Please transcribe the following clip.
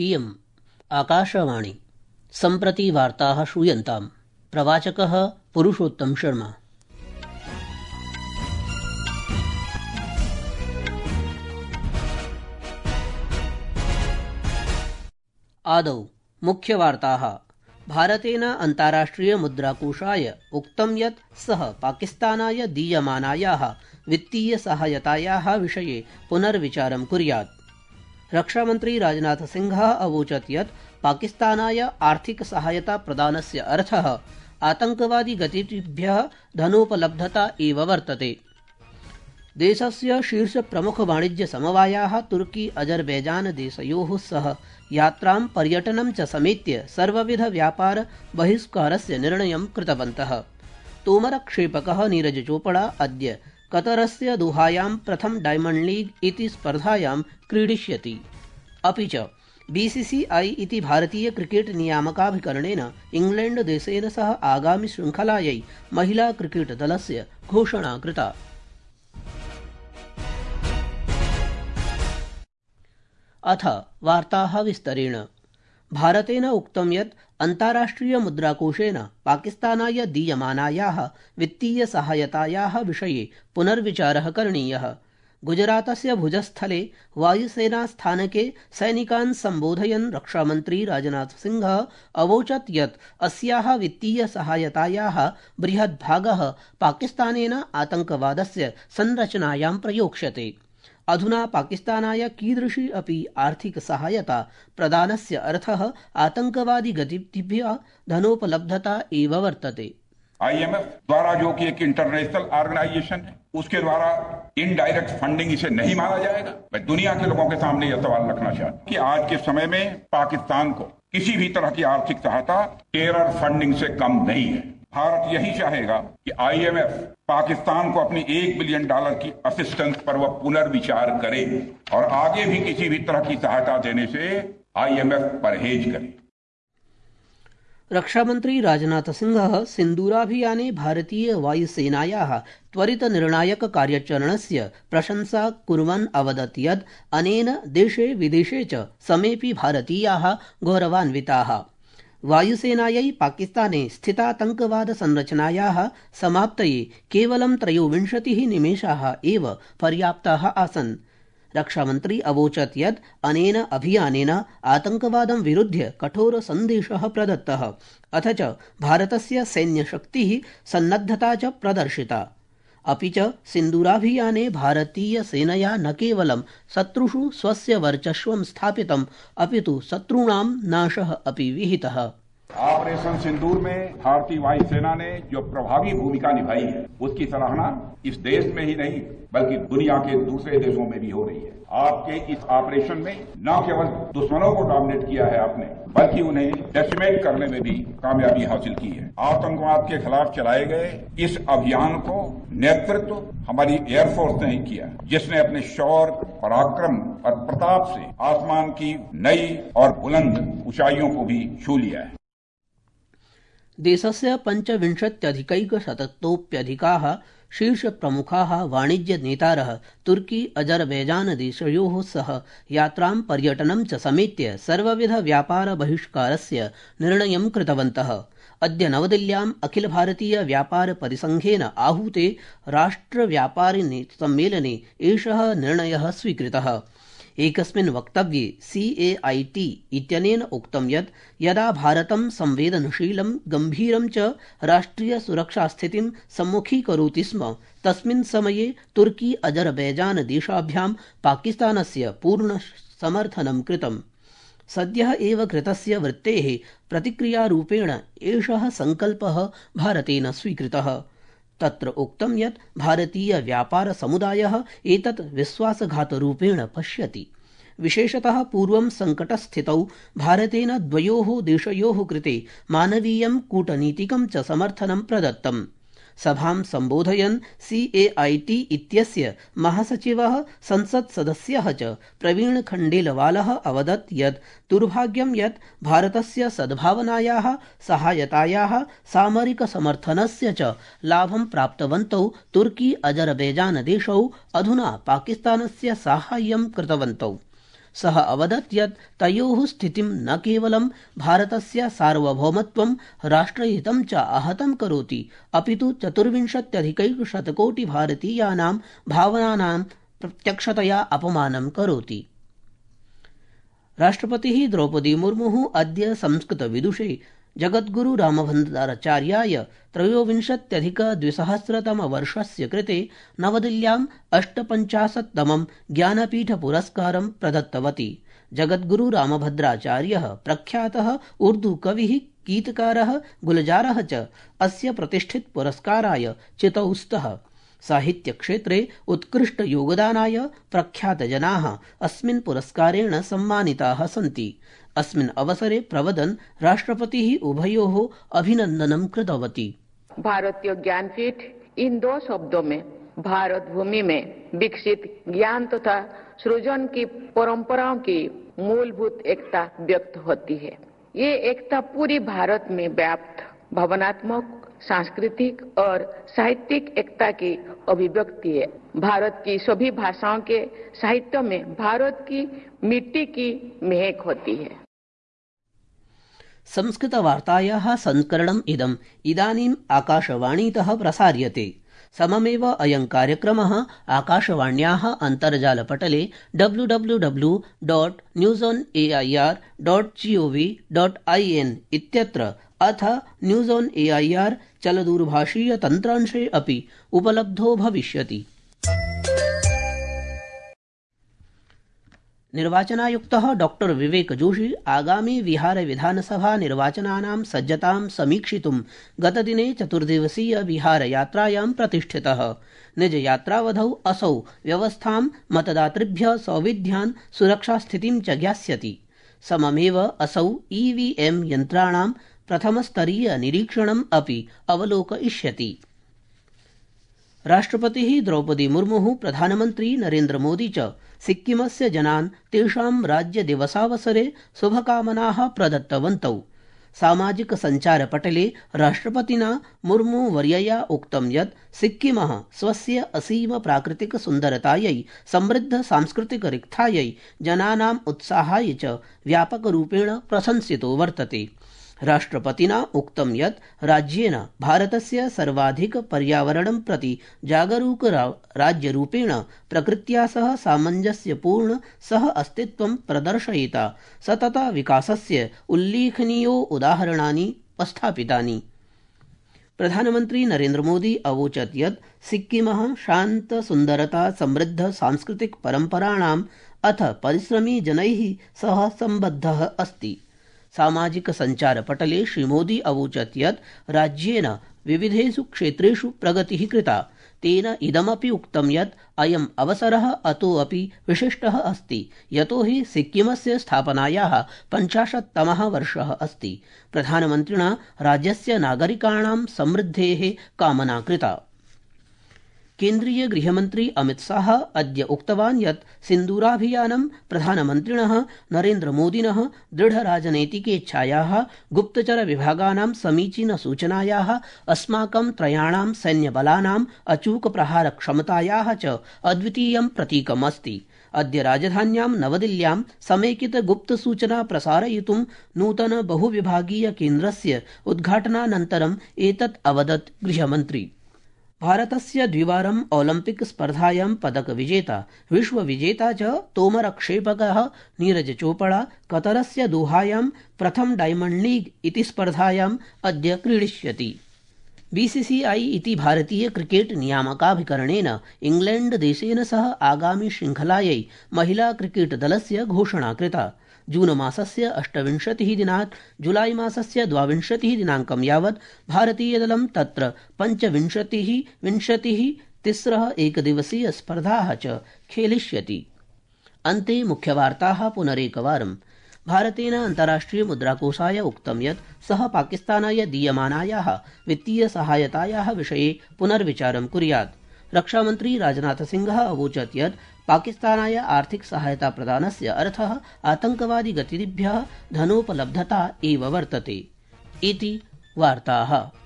इयम् आकाशवाणी। सम्प्रति वार्ताः श्रूयन्ताम्। प्रवाचकः पुरुषोत्तम शर्मा। आदौ मुख्यवार्ताः। भारतेन अन्ताराष्ट्रिय मुद्राकोषाय उक्तं यत् सः पाकिस्तानाय दीयमानायाः वित्तीय सहायतायाः विषये पुनर्विचारं कुर्यात्। रक्षामन्त्री राजनाथ सिंहः अवोचत् यत् पाकिस्तानाय आर्थिक सहायता प्रदानस्य अर्थः आतंकवादी गतिविधिभ्यः धनोपलब्धता एव वर्तते। देशस्य शीर्ष प्रमुख वाणिज्य समवायाः तुर्की अजरबैजान देशयोः सह यात्रां पर्यटनं च समेत्य सर्वविध व्यापार बहिष्कारस्य निर्णयं कृतवन्तः। तोमरक्षेपकः नीरज चोपड़ा अद्य कतरस्य दोहायां प्रथम डायमण्ड लीग इति स्पर्धायां क्रीडिष्यति। अपि च बीसीसीआई इति भारतीय क्रिकेट नियामकाभिकरणेन इंग्लैंड देशेन सह आगामि शृंखलायै महिला क्रिकेट दलस्य घोषणा कृता। अथ वार्ताः विस्तरेण। भारतेन उक्तं यत् अन्ताराष्ट्रिय मुद्राकोषेन पाकिस्तानाय दीयमानायाः वित्तीय सहायतायाः विषये पुनर्विचारः करणीयः। गुजरातस्य भुजस्थले वायुसेनास्थानके सैनिकान् सम्बोधयन् रक्षामन्त्री राजनाथ सिंहः अवोचत् यत् अस्याः वित्तीय सहायतायाः बृहद्भागः पाकिस्तानेन आतंकवादस्य संरचनायां प्रयोक्ष्यते। अधुना पाकिस्तानाय कीदृशी अपि आर्थिक सहायता प्रदानस्य अर्थः आतंकवादी गतिविधिभ्यः धनोपलब्धता एव वर्तते। IMF द्वारा जो कि एक इंटरनेशनल ऑर्गेनाइजेशन है, उसके द्वारा इनडायरेक्ट फंडिंग इसे नहीं माना जाएगा। मैं दुनिया के लोगों के सामने यह सवाल रखना चाहता हूं कि आज के समय में पाकिस्तान को किसी भी तरह की आर्थिक सहायता टेरर फंडिंग से कम नहीं है। भारत यही चाहेगा कि IMF पाकिस्तान को अपनी $1 बिलियन की असिस्टेंस पर वह पुनर्विचार करे और आगे भी किसी भी तरह की सहायता देने से IMF परहेज करे। रक्षामन्त्री राजनाथ सिंहः सिन्दूराभियाने भारतीय वायुसेनायाः त्वरित निर्णायक कार्याचरणस्य प्रशंसा कुर्वन् अवदत् यत् अनेन देशे विदेशे च समेऽपि भारतीयाः गौरवान्विताः। वायुसेनायै पाकिस्ताने स्थितातंकवाद संरचनायाः समाप्तये केवलं 23 निमेषाः एव पर्याप्ताः आसन्। रक्षामन्त्री अवोचत् यत् अनेन अभियानेन आतंकवादं विरुध्य कठोर सन्देशः प्रदत्तः, अथ च भारतस्य सैन्यशक्तिः सन्नद्धता च प्रदर्शिता। अपि च सिन्दूराभियाने भारतीयसेनया न केवलं शत्रुषु स्वस्य वर्चस्वं स्थापितम्, अपि तु शत्रूणां नाशः अपि विहितः। ऑपरेशन सिंदूर में भारतीय वायुसेना ने जो प्रभावी भूमिका निभाई है, उसकी सराहना इस देश में ही नहीं बल्कि दुनिया के दूसरे देशों में भी हो रही है। आपके इस ऑपरेशन में न केवल दुश्मनों को डोमिनेट किया है आपने, बल्कि उन्हें डेसिमेट करने में भी कामयाबी हासिल की है। आतंकवाद के खिलाफ चलाए गए इस अभियान को नेतृत्व हमारी एयरफोर्स ने ही किया, जिसने अपने शौर्य, पराक्रम और प्रताप से आसमान की नई और बुलंद ऊंचाइयों को भी छू लिया है। देशस्य 25,100तोप्यधिकाः शीर्षप्रमुखाः वाणिज्यनेतारः तुर्की अजरबैजान देशयोः सह यात्रां पर्यटनं च समेत्य सर्वविध व्यापार बहिष्कारस्य निर्णयं कृतवन्तः। अद्य नवदिल्ल्याम् अखिल भारतीय व्यापार परिसंघेन आहूते राष्ट्रव्यापारिणी सम्मेलने एषः निर्णयः स्वीकृतः। एकस्मिन् वक्तव्ये CAIT इत्यनेन उक्तं यत् यदा भारतं संवेदनशीलं गम्भीरं च राष्ट्रियसुरक्षास्थितिं सम्मुखीकरोति स्म, तस्मिन् समये तुर्की अजरबैजान देशाभ्यां पाकिस्तानस्य पूर्णसमर्थनं कृतम्। सद्यः एव कृतस्य वृत्तेः प्रतिक्रियारूपेण एषः सङ्कल्पः भारतेन स्वीकृतः। तत्र उक्तं यत् भारतीय व्यापार समुदायः एतत् विश्वासघातरूपेण पश्यति। विशेषतः पूर्वं सङ्कटस्थितौ भारतेन द्वयोः देशयोः कृते मानवीयं कूटनीतिकं च समर्थनं प्रदत्तम्। सभां सम्बोधयन् CAIT इत्यस्य महासचिवः संसत्सदस्यः च प्रवीण खण्डेलवालः अवदत् यत् दुर्भाग्यं यत् भारतस्य सद्भावनायाः, सहायतायाः, सामरिक समर्थनस्य च लाभं प्राप्तवन्तौ तुर्की अजरबैजान देशौ अधुना पाकिस्तानस्य साहाय्यं कृतवन्तौ। सः अवदत् यत् तयोः स्थितिं न केवलं भारतस्य सार्वभौमत्वं राष्ट्रहितं च आहतं करोति, अपितु 24,100 भारतीयानां भावनानां प्रत्यक्षतया अपमानं करोति। राष्ट्रपतिः द्रौपदी मुर्मुः अद्य संस्कृतविदुषे जगद्गुरु रामभद्राचार्याय 23,200 कृते नवदिल्ल्याम् 58तमं ज्ञानपीठपुरस्कारं प्रदत्तवती। जगद्गुरु रामभद्राचार्यः प्रख्यातः उर्दू कविः, गीतकारः, गुलजारः च अस्य प्रतिष्ठित पुरस्काराय चितौ स्तः। साहित्यक्षेत्रे उत्कृष्टयोगदानाय प्रख्यातजनाः अस्मिन् पुरस्कारेण सम्मानिताः सन्ति। अस्मिन् अवसरे प्रवदन् राष्ट्रपतिः उभयोः अभिनन्दनं कृतवती। भारतीय ज्ञानपीठ इन 2 शब्दों में भारत भूमि में विकसित ज्ञान तथा सृजन की परंपराओं की मूलभूत एकता व्यक्त होती है। ये एकता पूरी भारत में व्याप्त भावनात्मक, सांस्कृतिक और साहित्यिक एकता की अभिव्यक्ति है। भारत की सभी भाषाओं के साहित्य में भारत की मिट्टी की महक होती है। संस्कृतवार्तायाः संस्करणम् इदानीम् आकाशवाणीतः प्रसार्यते। सममेव अयं कार्यक्रमः आकाशवाण्याः अन्तर्जालपटले www.newsonair.gov.in इत्यत्र अथ न्यूज़ ऑन एआईआर चलदूरभाषीय तन्त्रांशे अपि उपलब्धो भविष्यति। निर्वाचनायुक्तः डॉक्टर विवेक जोशी आगामी बिहार विधानसभा निर्वाचनानां सज्जतां समीक्षितुं गतदिने 4 दिवसीय बिहार यात्रायां प्रतिष्ठितः। निजयात्रावधौ असौ व्यवस्थां, मतदातृभ्यः सौविध्यान्, सुरक्षास्थितिं च ज्ञास्यति। सममेव असौ ईवीएम यन्त्राणां प्रथमस्तरीय निरीक्षणम् अपि अवलोकयिष्यति। राष्ट्रपतिः द्रौपदी मुर्मुः, प्रधानमन्त्री नरेन्द्र मोदी च सिक्किमस्य जनान् तेषां राज्यदिवसावसरे शुभकामनाः प्रदत्तवन्तौ। सामाजिक सञ्चारपटले राष्ट्रपतिना मुर्मू वर्यया उक्तं यत् सिक्किमः स्वस्य असीम प्राकृतिक सुन्दरतायै, समृद्ध सांस्कृतिक रिक्थायै, जनानाम् उत्साहाय च व्यापकरूपेण प्रशंसितो वर्तते। राष्ट्रपतिना उक्तं यत् राज्येन भारतस्य सर्वाधिक पर्यावरणं प्रति जागरूक राज्यरूपेण प्रकृत्या सह सामञ्जस्यपूर्ण सह अस्तित्वं प्रदर्शयिता सतत विकासस्य उल्लेखनीयो उदाहरणानि उपस्थापितानि। प्रधानमन्त्री नरेन्द्र मोदी अवोचत् यत् सिक्किमः शान्त, सुन्दरता, समृद्ध सांस्कृतिक परम्पराणाम् अथ परिश्रमी जनैः सह सम्बद्धः अस्ति। सामाजिक सञ्चारपटले श्रीमोदी अवोचत् यत् राज्येन विविधेषु क्षेत्रेषु प्रगतिः कृता। तेन इदमपि उक्तं यत् अयम् अवसरः अतोऽपि विशिष्टः अस्ति, यतोहि सिक्किमस्य स्थापनायाः 50तमः वर्षः अस्ति। प्रधानमन्त्रिणा राज्यस्य नागरिकाणां समृद्धेः कामना कृता। केन्द्रीय गृहमन्त्री अमित शाह अद्य उक्तवान् यत् सिन्दूराभियानं प्रधानमन्त्रिणः नरेन्द्रमोदिनः दृढराजनैतिकेच्छायाः, गुप्तचरविभागानां समीचीनसूचनायाः, अस्माकं त्रयाणां सैन्यबलानाम् अचूकप्रहारक्षमतायाः च अद्वितीयं प्रतीकम् अस्ति। अद्य राजधान्यां नवदिल्ल्यां समेकितगुप्तसूचना प्रसारयितुं नूतन बहुविभागीय केन्द्रस्य उद्घाटनानन्तरम् एतत् अवदत् गृहमन्त्री। भारतस्य द्विवारम् ओलम्पिक स्पर्धायां पदकविजेता, विश्वविजेता च तोमरक्षेपकः नीरज चोपड़ा कतरस्य दोहायां प्रथम डायमण्ड लीग इति स्पर्धायाम् अद्य क्रीडिष्यति। बीसीसीआई इति भारतीय क्रिकेट नियामकाभिकरणेन इंग्लैंड देशेन सह आगामि श्रृंखलायै महिला क्रिकेट दलस्य घोषणा कृता। जून मासस्य 28 दिनात् जुलाई मासस्य 22 दिनाङ्कं यावत् भारतीयदलं तत्र 25, 20, 3 एकदिवसीय स्पर्धाः च खेलिष्यति। अन्ते मुख्यवार्ताः पुनरेकवारम्। भारतेन अन्ताराष्ट्रिय मुद्राकोषाय उक्तं यत् सः पाकिस्तानाय दीयमानायाः वित्तीय सहायतायाः विषये पुनर्विचारं कुर्यात्। रक्षामन्त्री राजनाथ सिंहः अवोचत् यत् पाकिस्तानाय आर्थिक सहायता प्रदानस्य अर्थः आतङ्कवादी गतिविधिभ्यः धनोपलब्धता एव वर्तते। इति वार्ताः।